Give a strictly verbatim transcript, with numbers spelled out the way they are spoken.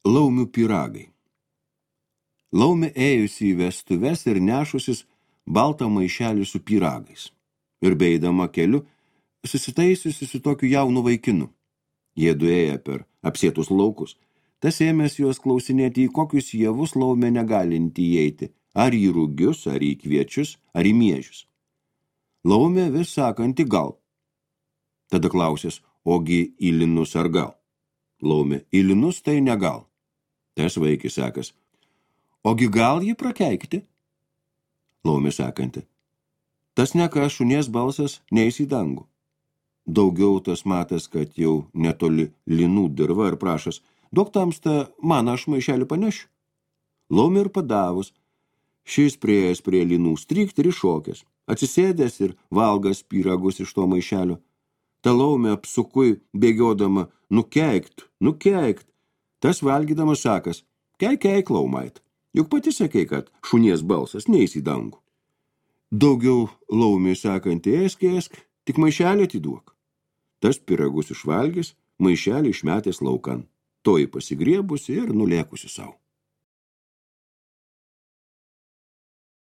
Laumių pyragai. Laumė ėjusi į vestuves ir nešusis baltą maišelį su pyragais. Ir beidama keliu, susitaisiusi su tokiu jaunu vaikinu. Jie duėję per apsėtus laukus. Tas ėmės juos klausinėti, į kokius javus laumė negalinti įeiti, ar į rugius, ar į kviečius, ar į miežius. Laumė vis sakanti gal. Tada klausės, ogi į linus ar gal. Laumė, į linus tai negal. Tas vaikis sakas, ogi gal jį prakeikti? Laumė sakanti, tas neka šunies balsas neis į dangų. Daugiau tas matas, kad jau netoli linų dirva ir prašas, duok tamsta, man aš maišelį panešiu. Laumė ir padavus, šis prieėjęs prie linų strykt ir iššokęs, atsisėdęs ir valgas pyragus iš to maišelio. Ta laumė apsukui bėgiodama, nukeikt, nukeikt. Tas valgydamas sakas, keik, keik, laumait, juk pati sakei, kad šunies balsas neis į dangų. Daugiau laumė sakanti, ėsk, ėsk, tik maišelį atiduok. Tas pyragus išvalgęs, maišelį išmetęs laukan, toji pasigriebusi ir nulėkusi savo.